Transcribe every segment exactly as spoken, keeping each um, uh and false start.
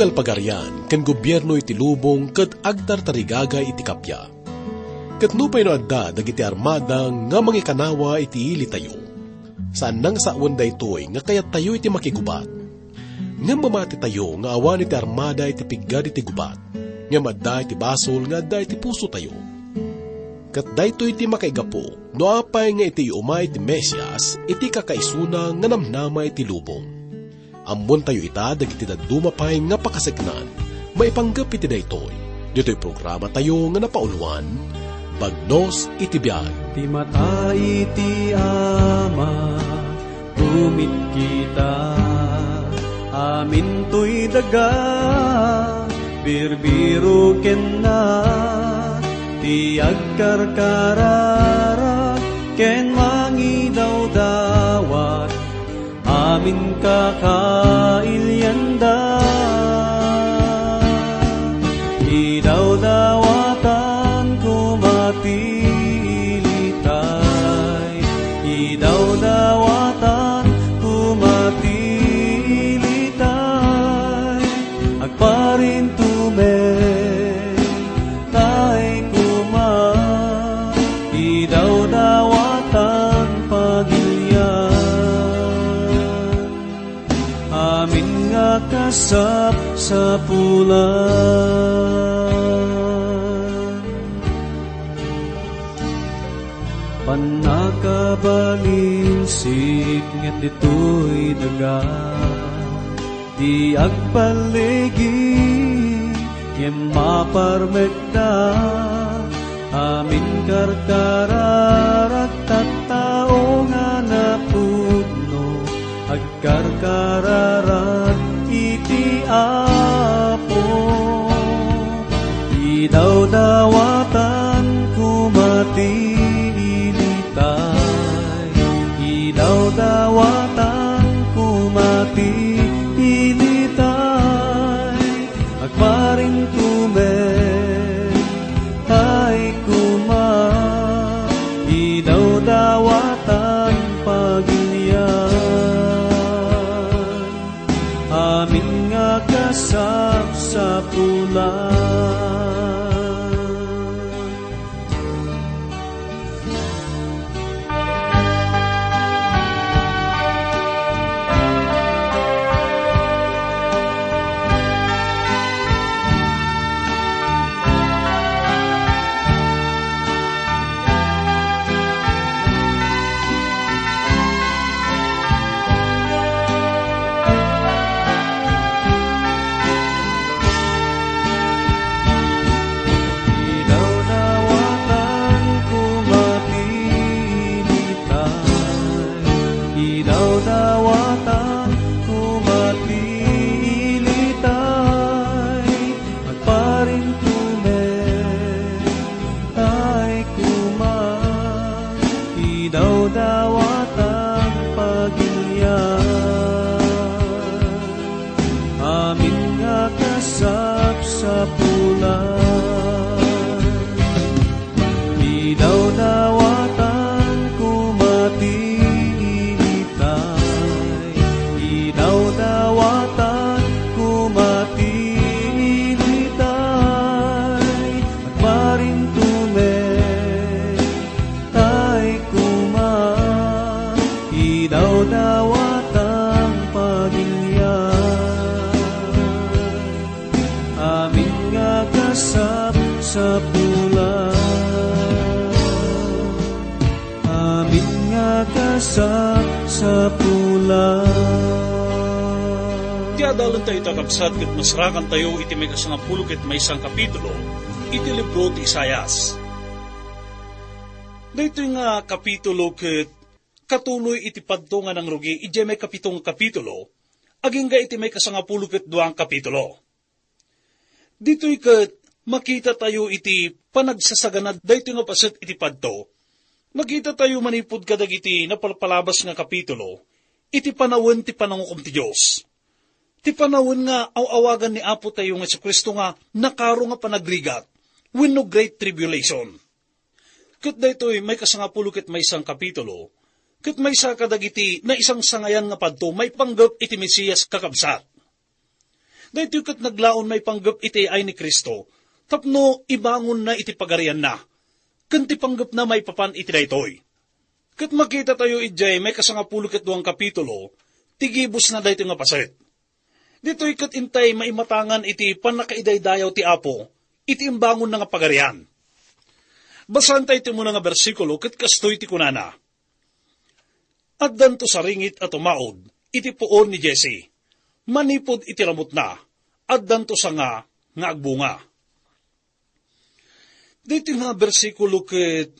Pagarian ken gobierno iti lubong ket agtartarigagay iti kappia. Ket nupay no adda dagiti armada nga mangikanawa iti ilitayo, saan nga sawen daytoy nga kayattayo iti makigubat. Ngem mamatitayo nga awan iti armada iti piggad iti gubat, ngem adda iti basol nga adda iti pusotayo. Ket daytoy ti makaigapu no apay nga iti iumay ti Mesias iti kakaisuna nga namnama iti lubong. Ammontayo ita dagiti dadduma pay nga pakaseknan maipanggep iti daytoy. Ditoy programatayo nga napauluan, Bagnos iti Biag. Ti mata iti Ama, tumitkita, amintoy daga, birbiro kenna, ti agkarkararag ken mangidawdawat, amin kakailianda. Idawdawatan koma ti ilitay, idawdawatan koma ti ilitay, agparintumen tay koma, idawdawatan pagilian, amin nga kasapsapulan. Pannakabalinsik nga ditoy daga, di agpalligi ngem maparmekda, amin karkararag tattao nga napudno, agkarkararag iti Apo. Idawdawatan koma ti ilitay, idawdawatan koma ti ilitay, agparintumen tay koma, idawdawatan pagilian, amin nga kasapsapulan. Idawdawatan koma ti ilitay, idawdawatan koma ti ilitay, agparintumen tay koma, idawdawatan pagilian, amin nga kasapsapulan. Idawdawatan koma ti ilitay, idawdawatan koma ti ilitay, agparintumen tay koma, idawdawatan pagilian, amin nga kasapsapulan, amin nga kasapsapulan. Ti adalentayo ita, kabsat, ket masrakantayo iti maikasangapulo ket maysa nga kapitulo iti libro ti Isaias. Daytoy nga kapitulo ket katuloy iti padto nga nangrugi idiay maikapito nga kapitulo, agingga iti maikasangapulo ket dua nga kapitulo. Ditoy ket makitatayo iti panagsasaganad daytoy nga paset iti padto. Makitatayo manipud kadagiti napalpalabas nga kapitulo iti panawen ti panangukom ti Dios. Ti panawen nga aw-awagan ni Apo tayo nga Jesu-Cristo nga nakaro nga panagrigat wenno Great Tribulation. Ket daytoy maikasangapulo ket maysa nga kapitulo, ket maysa kadagiti naisangsangayan nga padto maipanggep iti Mesias, kakabsat. Daytoy ket naglaon maipanggep iti ay ni Cristo tapno ibangonna iti pagarianna, ken ti panggepna maipapan iti daytoy. Ket makitatayo idiay maikasangapulo ket duang kapitulo ti gibusna daytoy nga paset. Ditoy ket intay maimatangan iti pannakaidaydayaw ti Apo iti imbangonna nga pagarian. Basaentayo ti umuna nga bersikulo ket kastoy ti kunana, "Addanto saringit a tumaud iti puon ni Jesse. Manipud iti ramutna, addanto sanga nga agbunga." Daytoy nga bersikulo ket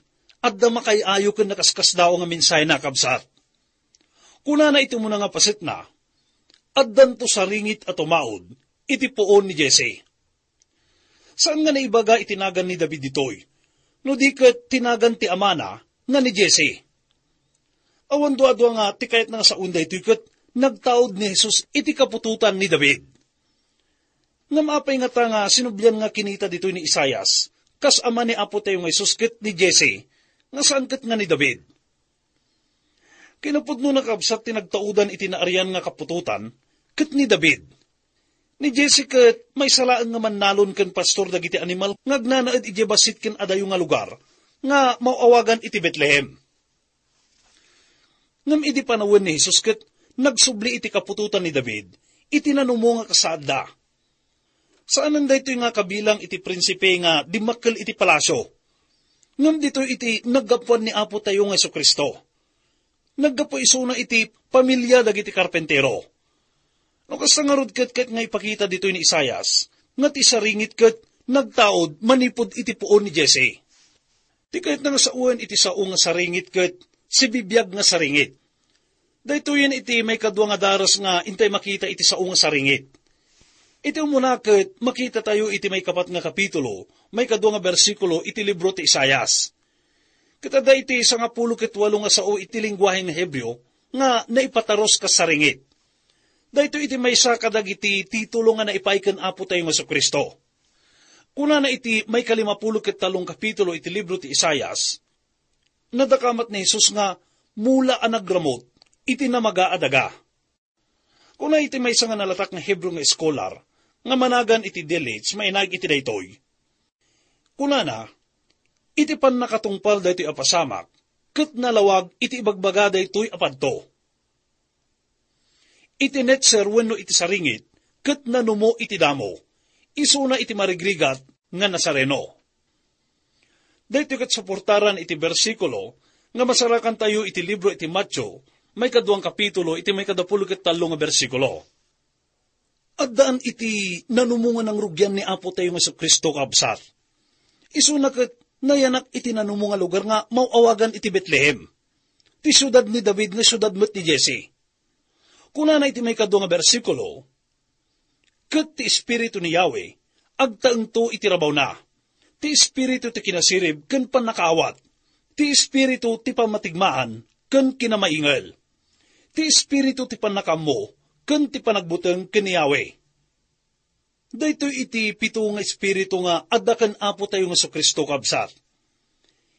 adda makaay-ayo ken nakaskasdaaw nga mensahe, kabsat. Kunana iti umuna nga pasetna, "Addanto saringit a tumaud iti puon ni Jesse." Saan nga naibaga iti nagan ni David ditoy, no di ket ti nagan ti amana nga ni Jesse. Awan duadua nga ti kayatna nga sawen daytoy ket nagtaud ni Jesus iti kaputotan ni David. Ngem apay ngata nga sinublian nga kinita ditoy ni Isaias, kas ama ni Apo tayo nga Jesus ket ni Jesse, nga saan ket nga ni David? Kinapudno, nakabsat, ti nagtaudan iti naarian nga kaputotan ket ni David. Ni Jesse ket maysa laeng nga mannalon ken pastor dagiti animal nga agnanaed idiay bassit ken adayo nga lugar nga maw-awagan iti Betlehem. Ngem idi panawen ni Jesus ket nagsubli iti kaputotan ni David iti nanumo nga kasaadda. Saanen daytoy nga kabilang iti prinsipe nga dimmakkel iti palasio, ngem ditoy iti naggapuan ni Apo tayo nga Jesu-Cristo. Naggapu isuna iti pamilia dagiti karpentero. No kasta ngarud ket, ket nga ipakita ditoy ni Isaias nga ti saringit ket nagtaud manipud iti puon ni Jesse. Ti kayatna nga sawen iti sao nga saringit ket sibibiag nga saringit. Daytoyen iti maikadua nga daras nga intay makita iti sao nga saringit. Iti umuna ket makitatayo iti maikapat nga kapitulo, maikadua nga bersikulo iti libro ti Isaias. Ket adda iti sangapulo ket walo nga sao iti lengguahe nga Hebreo nga naipataros kas saringit. Daytoy iti maysa kadagiti titulo nga naipaay ken Apo tayo nga Jesu-Cristo. Kunana iti maikalimapulo ket tallong kapitulo iti libro ti Isaias, nadakamat ni Jesus nga mula a nagramut iti namaga a daga. Kuna iti maysa nga nalatak nga Hebreo nga eskolar nga managan iti Delitzsch, mainaig iti daytoy. Kunana, "Iti pannakatungpal daytoy a pasamak, ket nalawag iti ibagbaga daytoy a padto. Iti netser wenno iti saringit, ket nanumo iti damo, isuna iti marigrigat nga Nazareno." Daytoy ket suportaran iti bersikulo nga masarakantayo iti libro iti Mateo, maikaduang kapitulo, iti maikadapulo ket tallo nga bersikulo. Addaan iti nanumo nga nangrugian ni Apo tayo nga Jesu-Cristo, kabsat. Isuna ket nayanak iti nanumo nga lugar nga maw-awagan iti Betlehem, ti siudad ni David nga siudad met ni Jesse. Kunana iti maikadua nga bersikulo, "Ket ti Espiritu ni Yahweh agtaengto iti rabawna. Ti Espiritu ti kinasirib ken pannakaawat. Ti Espiritu ti pammatigmaan ken kinamaingel. Ti Espiritu ti pannakaammo ken ti panagbuteng ken ni Yahweh." Daytoy iti pito nga espiritu nga adda ken Apo tayo nga Jesu-Cristo, kabsat.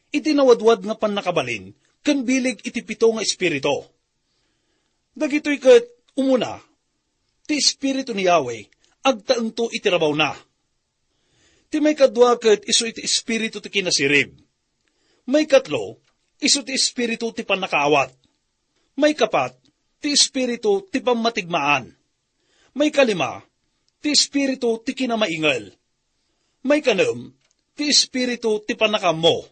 Iti nawadwad nga pannakabalin ken bileg iti pito nga espiritu. Dagitoy ket, umuna, ti Espiritu ni Yahweh agtaengto iti rabawna. Ti maikadua ket isu iti Espiritu ti kinasirib. Maikatlo, isu ti Espiritu ti pannakaawat. Maikapat, ti Espiritu ti pammatigmaan. Maikalima, ti Espiritu ti kinamaingel. Maikanem, ti Espiritu ti pannakaammo.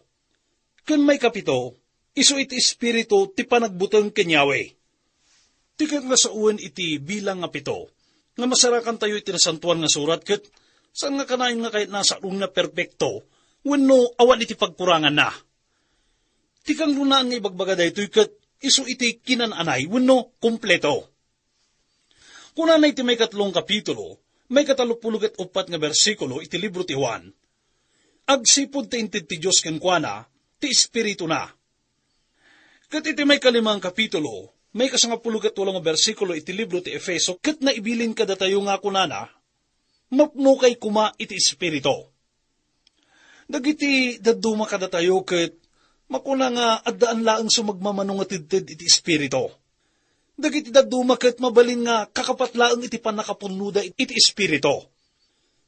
Ken maikapito, isu iti Espiritu ti panagbuteng ken Yahweh. Ti ket nga sawen iti bilang nga pito, nga masarakantayo iti Nasantoan nga Surat ket saan nga kanayon nga kayatna a saruenna perpekto wenno awan iti pagkuranganna. Ti kangrunaan nga ibagbaga daytoy ket isu iti kinan-anay wenno kompleto. Kunana iti maikatlong kapitulo, maikatallopulo ket uppat nga bersikulo iti libro ti Juan, "Agsipud ta inted ti Dios kenkuana ti Espirituna." Ket iti maikalimang kapitulo, maikasangapulo ket walo nga bersikulo iti libro ti Efeso, ket naibilin kadatayo nga kunana, "Mapnokay koma iti Espiritu." Dagiti dadduma kadatayo ket makuna nga addaan laeng sumagmamano nga tedted iti Espiritu. Dagiti dadduma ket mabalin nga kakapat laeng iti pannakapunnoda iti Espiritu.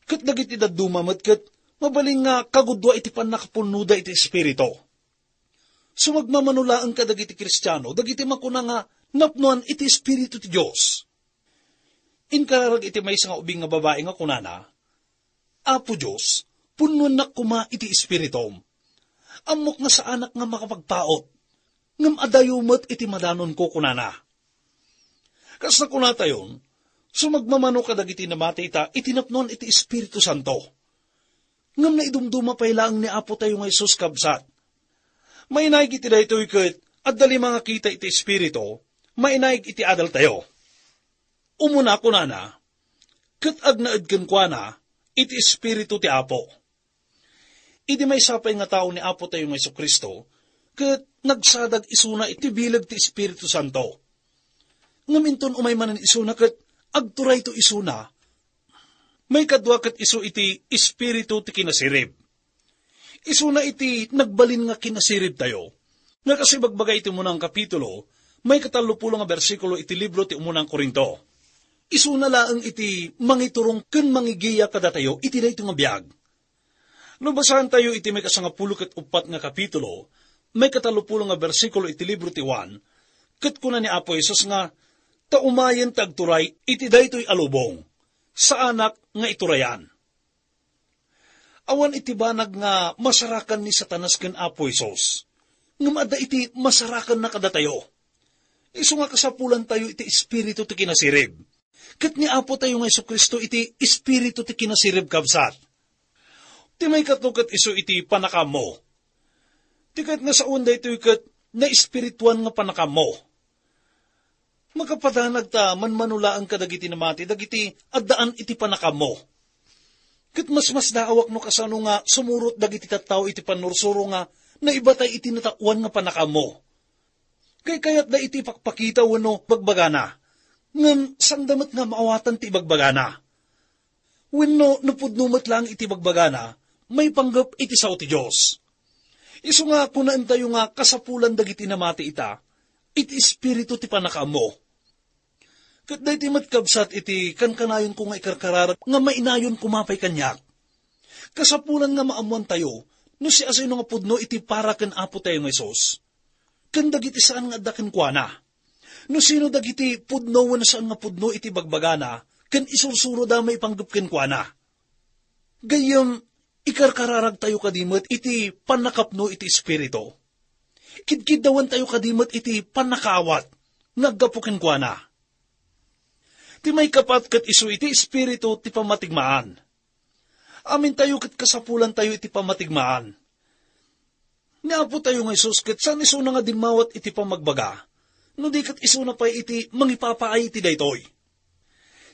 Ket dagiti dadduma met ket mabalin nga kagudua iti pannakapunnoda iti Espiritu. Sumagmamano laeng kadagiti Kristiano dagiti makuna nga napnoan iti Espiritu ti Dios. Inkararag iti maysa nga ubing nga babai nga kunana, "Apo Dios, punnoennak koma iti Espiritum. Ammok nga saanak nga makapagpaut, ngem adayo met iti madanonko," kunana. Kas nakunatayon, sumagmamano kadagiti namati ita iti napnoan iti Espiritu Santo. Ngem naidumduma pay laeng ni Apo tayo nga Jesus, kabsat. Mainaig iti daytoy ket adda lima nga kita iti Espiritu, mainaig iti adal tayo. Umuna, kunana, ket agnaed kenkuana iti Espiritu ti Apo. Idi maysa pay nga tao ni Apo tayo nga Jesu-Cristo, ket nagsadag isuna iti bileg ti Espiritu Santo. Ngem inton umay manen isuna ket agturayto isuna, maikadua ket isu iti Espiritu ti kinasirib. Isuna iti nagbalin nga kinasirib tayo. Nga kas ibagbaga iti umunang kapitulo, maikatallopulo nga bersikulo iti libro ti umunang Corinto. Isuna laeng iti mangiturong ken mangigiya kadatayo iti daytoy nga biag. No basaen tayo iti maikasangapulo ket uppat nga kapitulo, maikatallopulo nga bersikulo iti libro ti Juan, ket kuna ni Apo Jesus nga, "Ta umayen ti agturay iti daytoy a lubong, saanak nga iturayan." Awan iti banag nga masarakan ni Satanas ken Apo Jesus, ngem adda iti masarakanna kadatayo. Isu nga kasapulantayo iti Espiritu ti kinasirib, ket ni Apo tayo nga Jesu-Cristo iti Espiritu ti kinasirib, kabsat. Ti maikatlo ket isu iti pannakaammo. Ti kayat nga saoen daytoy ket naespirituan nga pannakaammo. Makapadanag ta manmano laeng kadagiti namati dagiti addaan iti pannakaammo. Ket masmasdaawak no kasano nga sumurot dagiti tattao iti pannursuro nga naibatay iti nataoan nga pannakaammo. Kaykayatda iti ipakpakita wenno bagbagana, ngem saanda met nga maawatan ti ibagbagana. Wenno no pudno met laeng iti bagbagana, maipanggep iti sao ti Dios. Isu nga kunaentayo nga kasapulan dagiti namati ita, iti espiritu ti pannakaammo. Ket daytoy met, kabsat, iti kankanayonko nga ikarkararag nga mainayon koma pay kaniak. Kasapulan nga maammoantayo no siasino nga pudno iti para ken Apo tayo nga Jesus, ken dagiti saan nga adda kenkuana. No sino dagiti pudno wenno saan nga pudno iti bagbagana ken isursuroda maipanggep kenkuana. Gayyem, ikarkararagtayo kadi met iti pannakapno iti Espiritu. Kidkiddawentayo kadi met iti pannakaawat nga aggapu kenkuana. Ti maikapat ket isu iti Espiritu ti pammatigmaan. Amintayo ket kasapulantayo iti pammatigmaan. Ni Apo tayo nga Jesus ket saan isuna nga dimmawat iti pammagbaga, no di ket isuna pay iti mangipapaay iti daytoy.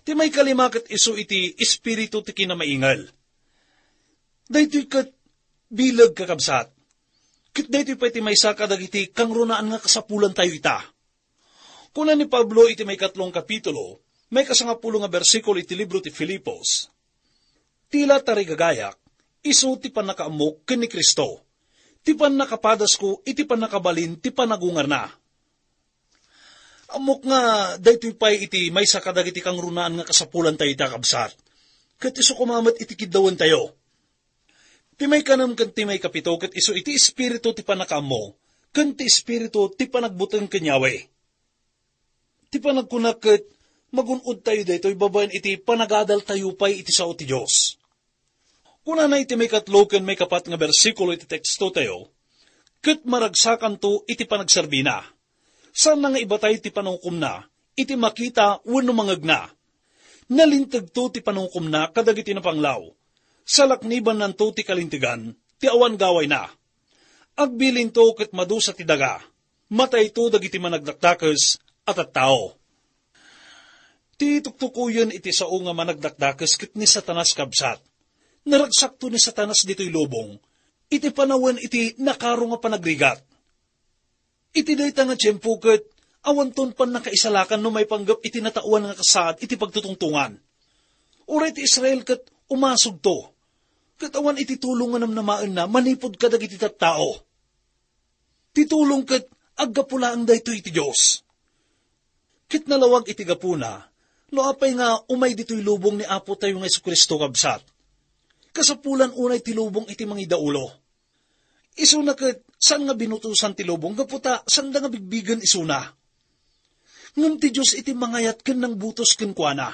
Ti maikalima ket isu iti Espiritu ti kinamaingel. Daytoy ket bileg, kakabsat. Ket daytoy pay ti maysa kadagiti kangrunaan nga kasapulantayo ita. Kuna ni Pablo iti maikatlong kapitulo, maikasangapulo nga bersikulo iti libro ti Filipos, "Ti la tarigagayak, isu ti pannakaammok ken ni Cristo, ti pannakapadasko iti pannakabalin ti panagungarna." Ammok nga daytoy pay iti maysa kadagiti kangrunaan nga kasapulantayo ita, kabsat. Ket isu koma met iti kiddawentayo. Ti maikanem ken ti maikapito ket isu iti espiritu ti pannakaammo ken ti espiritu ti panagbuteng ken Yahweh. Ti panagkuna ket magun-odtayo daytoy babaen iti panagadaltayo pay iti sao ti Dios. Kunana iti maikatlo ken maikapat nga bersikulo iti tekstotayo, "Ket maragsakanto iti panagserbina. Saanna nga ibatay ti panungukomna iti makita wenno mangegna. Nalintegto ti panungukomna kadagiti napanglaw. Salaknibannanto ti kalintegan ti awan gawayna. Agbilinto ket madusa ti daga. Matayto dagiti managdakdakes a tattao." Ti tuktukoyen iti sao nga managdakdakes ket ni Satanas, kabsat. Naragsakto ni Satanas ditoy lubong iti panawen iti nakaro nga panagrigat. Iti dayta nga tiempo ket awanton pannakaisalakan no maipanggep iti nataoan nga kasaad iti pagtutungtongan. Uray ti Israel ket umasugto, ket awan iti tulong nga namnamaenna manipud kadagiti tattao. Ti tulong ket aggapu laeng daytoy iti Dios. Ket nalawag iti gapuna, no apay nga umay ditoy lubong ni Apo tayo nga Jesu-Cristo, kabsat. Kasapulan unay ti lubong iti mangidaulo. Isuna ket saan nga binutosan ti lubong gapu ta saanda nga bigbigen isuna. Ngem ti Dios iti mangayat ken nangbutos kenkuana.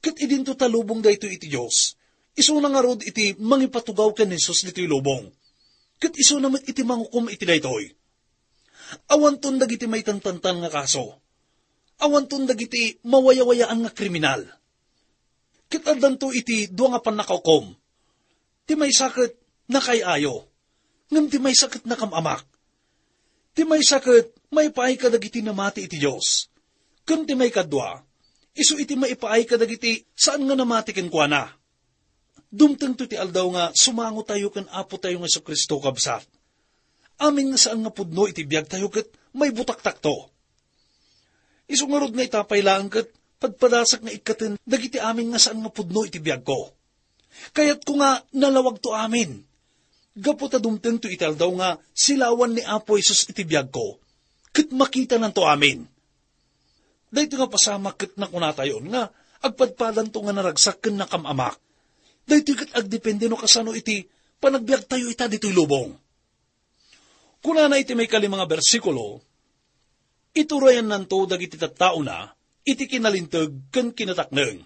Ket idinto ta lubong daytoy iti Dios. Isuna ngarud iti mangipatugaw ken ni Jesus ditoy lubong. Ket isuna met iti mangukom iti daytoy. Awanton dagiti maitantantan nga kaso. Awanton dagiti mawayawayaan nga kriminal. Ket addanto iti dua nga pannakaukom. Ti maysa ket nakaay-ayo, ngem ti maysa ket nakam-amak. Ti maysa ket maipaay kadagiti namati iti Dios. Ken ti maikadua, isu iti maipaay kadagiti saan nga namati kenkuana. Dumtengto ti aldaw nga sumangotayo ken Apo tayo nga Jesu-Cristo, kabsat. Amin nga saan nga pudno iti biagtayo ket maibutaktakto. Isu ngarud nga itapay laeng ket padpadasak nga ikkaten dagiti amin nga saan nga pudno iti biagko. Kayatko nga nalawagto amin. Gapu ta dumtengto iti aldaw nga silawan ni Apo Jesus iti biagko, ket makitananto amin. Daytoy nga pasamak ket nakunatayon nga agpadpadanto nga naragsak ken nakam-amak. Daytoy ket agdepende no kasano iti panagbiagtayo ita ditoy lubong. Kunana iti maikalima nga bersikulo, "Iturayannanto dagiti tattaona iti kinalinteg ken kinatakneng."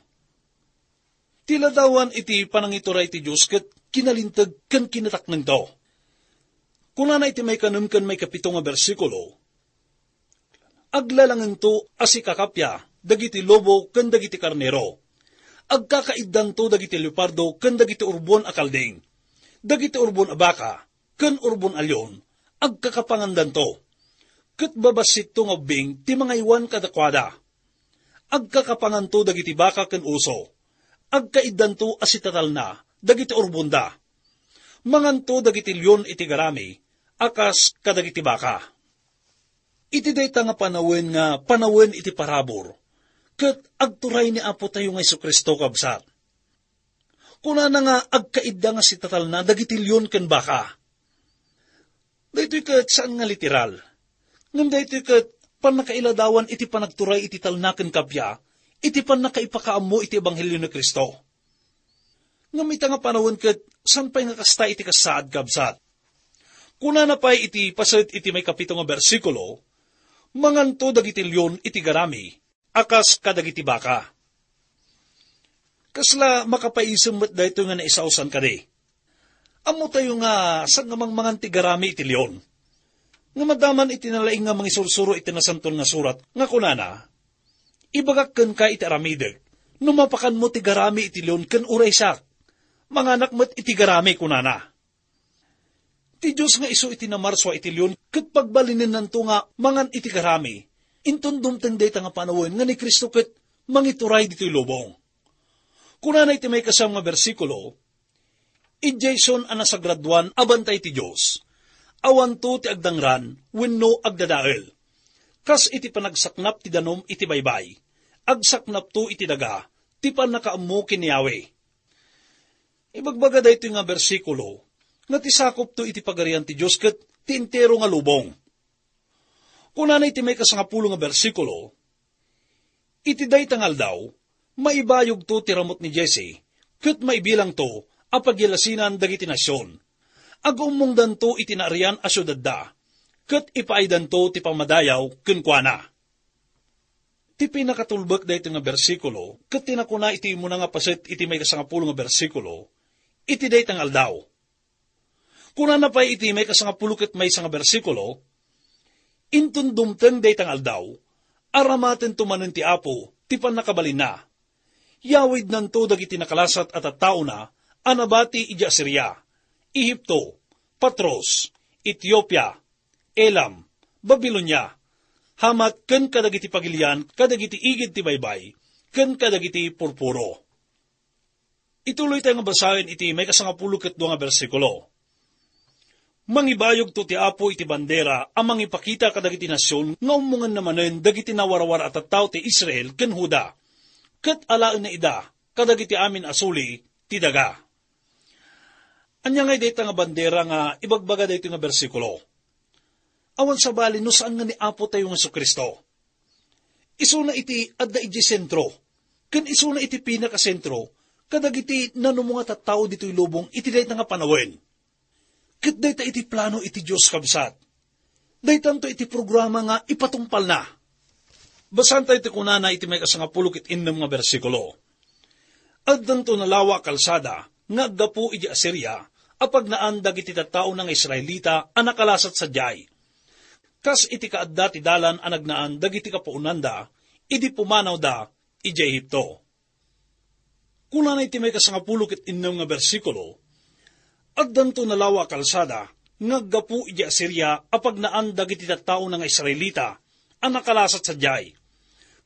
Ti ladawan iti panangituray ti Dios ket kinalinteg ken kinataknengto. Kunana iti maikanem ken maikapito nga bersikulo, "Aglalangento a sikakappia dagiti lobo ken dagiti karnero. Agkakaiddanto dagiti leopardo ken dagiti urbon a kalding. Dagiti urbon a baka ken urbon a leon, agkakapangandanto. Ket babassitto nga ubbing ti mangaywan kadakuada. Agkakapanganto dagiti baka ken uso. Agkaiddanto a sitatalna dagiti urbonda. Manganto dagiti leon iti garami a kas kadagiti baka." Iti dayta nga panawen nga panawen iti parabur, ket agturay ni Apo tayo nga Jesu-Cristo, kabsat. Kunana nga agkaidda nga sitatalna dagiti leon ken baka. Daytoy ket saan nga literal. Ngem daytoy ket pannakailadawan iti panagturay iti talna ken kappia, iti pannakaipakaammo iti ebanghelio ni Cristo. Ngem ita nga panawen ket saan pay nga kasta iti kasaad, kabsat. Kunana pay iti paset iti maikapito nga bersikulo, "Manganto dagiti leon iti garami a kas kadagiti baka." Kasla makapaisem met daytoy nga naisausan kadi. Ammotayo nga saan nga mangmangan ti garami iti leon. Nga madaman iti nalaing nga mangisursuro iti Nasantoan nga Surat nga kunana, "Ibagak kenka iti aramidek, no mapakanmo ti garami iti leon ken uray siak, manganak met iti garami," kunana. Ti Dios nga isu iti namarsua iti leon ket pagbalinennanto nga mangan iti garami, inton dumteng dayta nga panawen nga ni Cristo ket mangituray ditoy lubong. Kunana iti maikasam nga bersikulo, "Idiayson a nasagradoan a bantay ti Dios, awanto ti agdangran wenno agdadael. Kas iti panagsaknap ti danum iti baybay, agsaknapto iti daga ti pannakaammo ken ni Yahweh." Ibagbaga daytoy nga bersikulo nga ti sakopto iti Pagarian ti Dios ket ti entero nga lubong. Kunana iti maikasangapulo nga bersikulo, "Iti dayta nga aldaw, maibayogto ti ramut ni Jesse, ket maibilangto a pagyalasinan dagiti nasion. Agummongdanto iti naarian a siudadda, ket ipaaydanto ti pammadayaw kenkuana." Ti pinakatulbek daytoy nga bersikulo ket ti nakuna iti immuna nga paset iti maikasangapulo nga bersikulo, "Iti dayta nga aldaw." Kunana pay iti maikasangapulo ket maysa nga bersikulo, "Inton dumteng dayta nga aldaw, aramatento manen ti Apo ti pannakabalinna. Yawidnanto dagiti nakalasat a tattaona a nabati idiay Asiria, Ehipto, Patros, Etiopia, Elam, Babilonia, Hamat ken kadagiti pagilian kadagiti igid ti baybay ken kadagiti purpuro." Ituloy tayo nga basaen iti maikasangapulo ket dua nga bersikulo. "Mangibayogto ti Apo iti bandera a mangipakita kadagiti nasion nga ummongenna manen dagiti nawarwar a tattao ti Israel ken Juda, ket alaenna ida kadagiti amin a suli ti daga." Ania ngay dayta nga bandera nga ibagbaga daytoy nga bersikulo? Awan sabali no saan nga ni Apo tayo nga Jesu-Cristo. Isuna iti adda idiay sentro, ken isuna iti pinakasentro kadagiti nanumo nga tattao ditoy lubong iti dayta nga panawen. Ket dayta iti plano iti Dios, kabsat. Daytanto iti programa nga ipatungpalna. Basaentayo ti kunana iti maikasangapulo ket innem nga bersikulo. Addanto nalawa a kalsada nga aggapu idiay Asiria a pagnaan dagiti tattaona nga Israelita a nakalasat sadiay. Kas iti kaadda ti dalan a nagnaan dagiti kapuonanda idi pumanawda idiay Egipto. Kunana iti maikasangapulo ket innem nga bersikulo, "Addanto nalawa a kalsada nga aggapu idiay Asiria a pagnaan dagiti tattaona nga Israelita a nakalasat sadiay,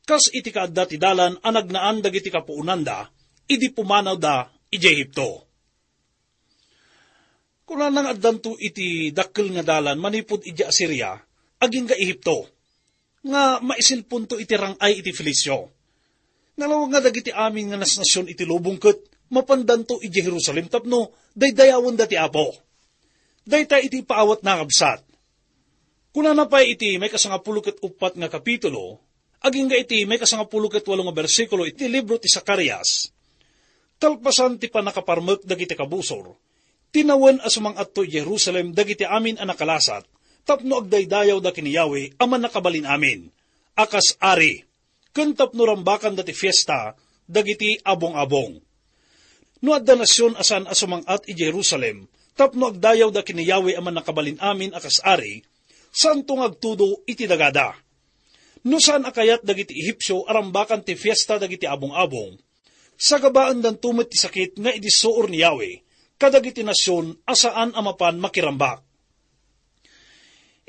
kas iti kaadda ti dalan a nagnaan dagiti kapuonanda idi pumanawda idiay Egipto." Kunana nga addanto iti dakkel nga dalan manipud idiay Asiria agingga Egipto, nga maisilponto iti rang-ay iti Filicio. Nalawag nga dagiti amin nga nasnasion iti lubong ket mapandanto idiay Jerusalem tapno daydayawenda ti Apo. Dayta iti ipaawatna, kabsat. Kunana pay iti maikasangapulo ket uppat nga kapitulo, agingga iti maikasangapulo ket walo nga bersikulo iti libro ti Zacarias, "Kalpasan ti pannakaparmek dagiti kabusor, tinawen a sumang-atto idiay Jerusalem dagiti amin a nakalasat tapno agdaydayawda ken ni Yahweh a Mannakabalin-amin a kas ari, ken tapno rambakanda ti fiesta dagiti abong-abong. No adda nasion a saan a sumang-at idiay Jerusalem tapno agdayawda ken ni Yahweh a Mannakabalin-amin a kas ari, saanto nga agtudo iti dagada. No saan a kayat dagiti Ehipsio a rambakan ti fiesta dagiti abong-abong, sagabaendanto met ti sakit nga idissuor ni Yahweh kadagiti nasion a saan a mapan makirambak."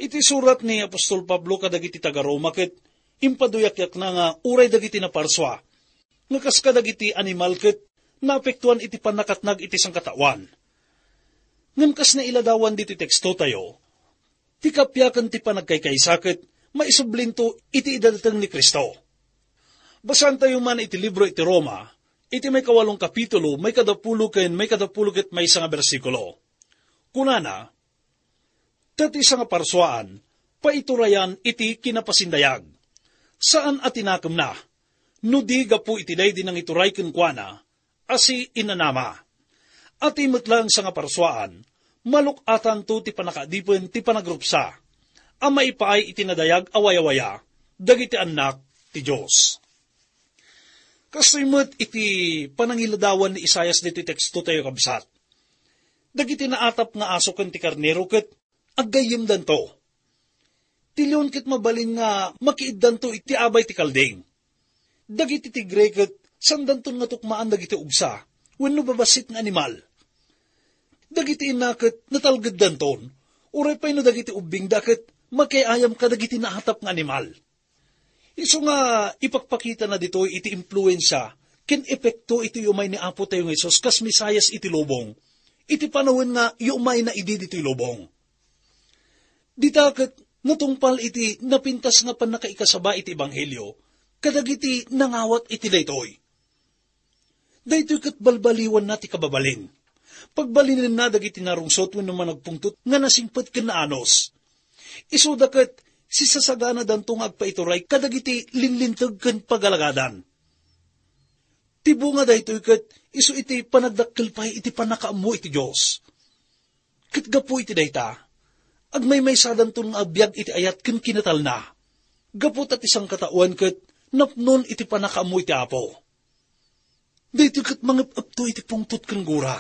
Iti surat ni apostol Pablo kadagiti taga-Roma ket impaduyakyakna nga uray dagiti naparsua nga kas kadagiti animal ket naapektuan iti pannakatnag iti sangkataoan. Ngem kas nailadawan ditoy tekstotayo, ti kapiaken ti panagkaykaysa ket maisublinto iti idadateng ni Cristo. Basaentayo man iti libro iti Roma, iti maikawalong kapitulo, maikadapulo ken maikadapulo ket maysa nga bersikulo. Kunana, "Ta ti sangaparsuaan, paiturayan iti kinapasindayag. Saan a tinakemna, no di gapu iti daydi nangituray kenkuana, a si inanama. A ti met laeng sangaparsuaan, maluk-atanto ti pannakaadipen ti panagrupsa, a maipaay iti nadayag a wayawaya dagiti annak ti Dios." Kastoy met iti panangiladawan ni Isaias ditoy tekstotayo, kabsat. Dagiti naatap nga aso ken ti karnero ket aggayyemdanto. Ti leon ket mabalin nga makiiddanto iti abay ti kalding. Dagiti tigre ket saandanton nga tukmaan dagiti ugsa wenno babassit nga animal. Dagiti inna ket natalgeddanton, uray pay no dagiti ubbingda ket makiayam kadagiti naatap nga animal. Isu nga ipakpakitana ditoy iti impluensia ken epekto iti umay ni Apo tayo nga Jesus kas Mesias iti lubong, iti panawen nga yumayna idi ditoy lubong. Dita ket natungpal iti napintas nga pannakaikasaba iti ebanghelio kadagiti nangawat iti daytoy. Daytoy ket balbaliwanna ti kababalin. Pagbalinenna dagiti narungsot wenno managpungtot nga nasingpet ken naanus. Isuda ket sisasaganadanto nga agpaituray kadagiti linlinteg ken pagalagadan. Ti bunga daytoy ket isu iti panagdakkel pay iti pannakaammo iti Dios. Ket gapu iti dayta, agmaymaysadanton nga agbiag iti ayat ken kinatalna. Gapu ta ti sangkataoan ket napnon iti pannakaammo iti Apo. Daytoy ket mangep-epto iti pungtot ken gura.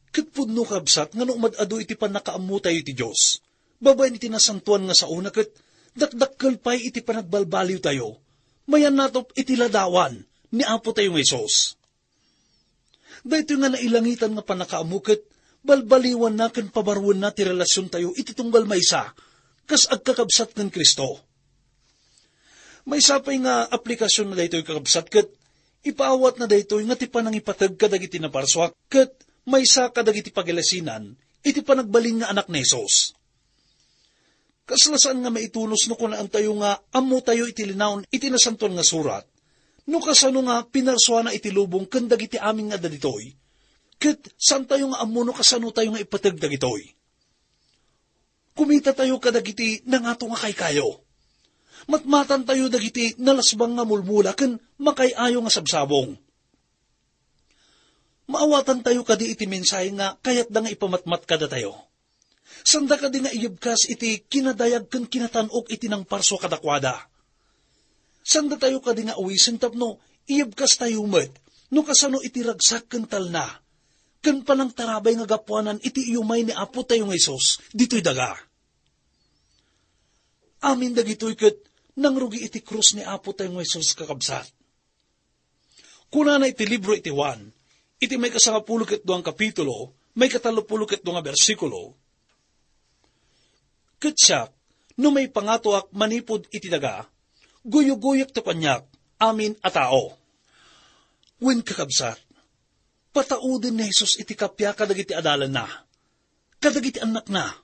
Ket pudno, kabsat, nga no umad-adu iti pannakaammotayo iti Dios, babaen iti nasantoan nga saona ket dakdakkel pay iti panagbalbaliwtayo, mayannatop iti ladawan ni Apo tayo nga Jesus. Daytoy nga nailangitan nga pannakaammo ket balbaliwanna ken pabaruenna ti relasiontayo iti tunggal maysa, kas agkakabsat ken Cristo. Maysa pay nga aplikasionna daytoy, kakabsat, ket ipaawatna daytoy nga ti panangipateg kadagiti naparsua ket maysa kadagiti pagilasinan iti panagbalin nga anak ni Jesus. Kasla saan nga maitunos no kunaentayo nga ammotayo iti linaon iti Nasantoan nga Surat, no kasano nga pinarsuana iti lubong ken dagiti amin nga adda ditoy, ket saantayo nga ammo no kasanotayo nga ipateg dagitoy. Kumitatayo kadagiti nangato nga kaykayo. Matmatantayo dagiti nalasbang nga mulmula ken makay-ayo nga sabsabong. Maawatantayo kadi iti mensahe nga kayatda nga ipamatmat kadatayo? Sanda kadi nga iyebkas iti kinadayag ken kinatan-ok iti nangparsua kadakuada? Sandatayo kadi nga awisen tapno iyebkastayo met no kasano iti ragsak ken talna ken panangtarabay nga gapuanan iti iyumay ni Apotayo nga Jesus ditoy daga? Amin dagitoy ket nangrugi iti krus ni Apotayo nga Jesus, kakabsat. Kunana iti libro iti Juan, iti maikasangapulo ket duang kapitulo, maikatallopulo ket dua nga bersikulo, "Ket siak, no maipangatoak manipud iti daga, guyoguyek ti kaniak amin a tao." Wen, kakabsat, patauden ni Jesus iti kappia kadagiti adalanna, kadagiti annakna.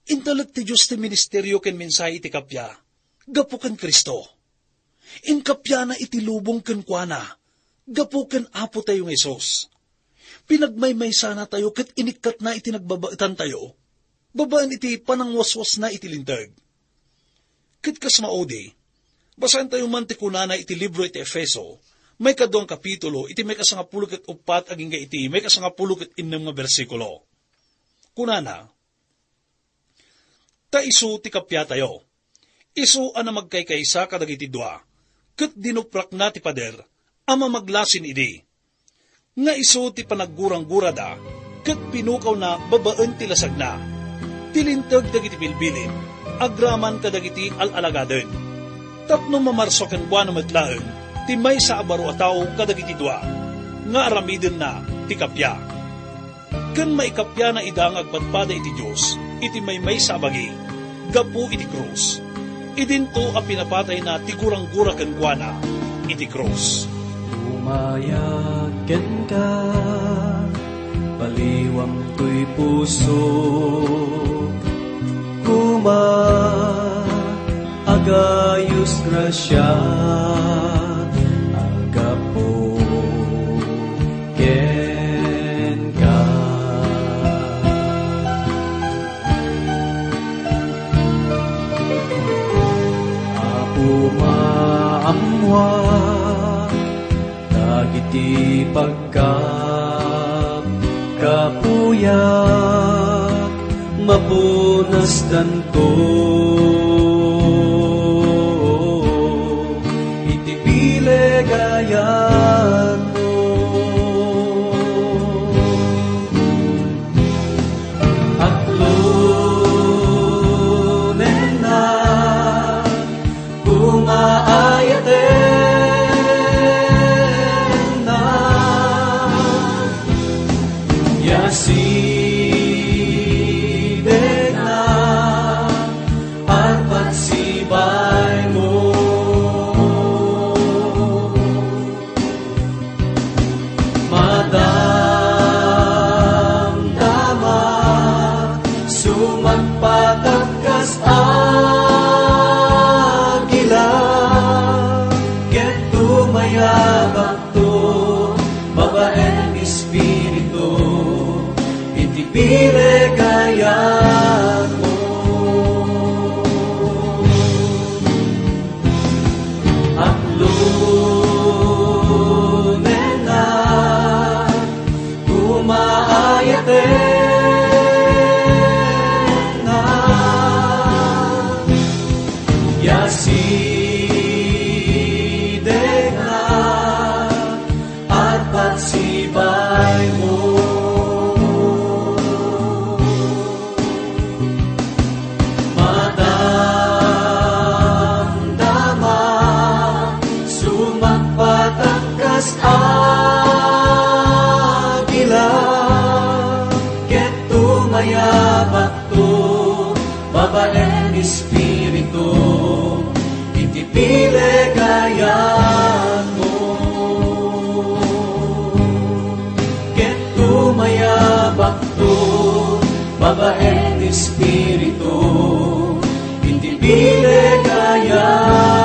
Intalek ti Dios ti ministerio ken mensahe iti kappia gapu ken Cristo. Inkappiana iti lubong kenkuana gapu ken Apotayo nga Jesus. Pinagmaymaysanatayo ket inikkatna iti nagbabaetantayo babaen iti panangwaswasna iti Linteg. Ket kas maudi, basaentayo man ti kunana iti libro iti Efeso, maikaduang kapitulo, iti maikasangapulo ket uppat agingga iti maikasangapulo ket innem nga bersikulo. Kunana, "Ta isu ti kappiatayo. Isu a namagkaykaysa kadagiti dua, ket dinuprakna ti pader a mamaglasin idi. Nga isu ti panagguranggurada ket pinukawna babaen ti lasagna, ti Linteg dagiti bilbilin, agraman kadagiti al-alagaden. Tapno mamarsua kenkuana met laeng ti maysa a baro a tao kadagiti dua, nga aramidenna ti kappia." Ken maikappiana ida nga agpadpada iti Dios iti maymaysa a bagi gapu iti krus. Idinto a pinapatayna ti guranggura kenkuana iti krus. Umayag kenka, paliwam toy puso, koma, agayus grasia, agapu kenka. Apo, maammoak dagiti pagkapkapuyak, mapunasdanto iti bilegayatmo. Aklonenna, koma, ayatenna, ya sidegna, arpat sibaymo. Madamdama, sumagpatak kas agila, ket tumayabakto babaen espiritu iti bilegayatmo. Aklonenna, koma, ayatenna, ya sidegna, arpat sibaymo. Madamdama, sumagpatak kas agila, ket tumayabakto babaen espiritu iti bilegayatmo. Ket tumayabakto babaen espiritu iti bilegayatmo.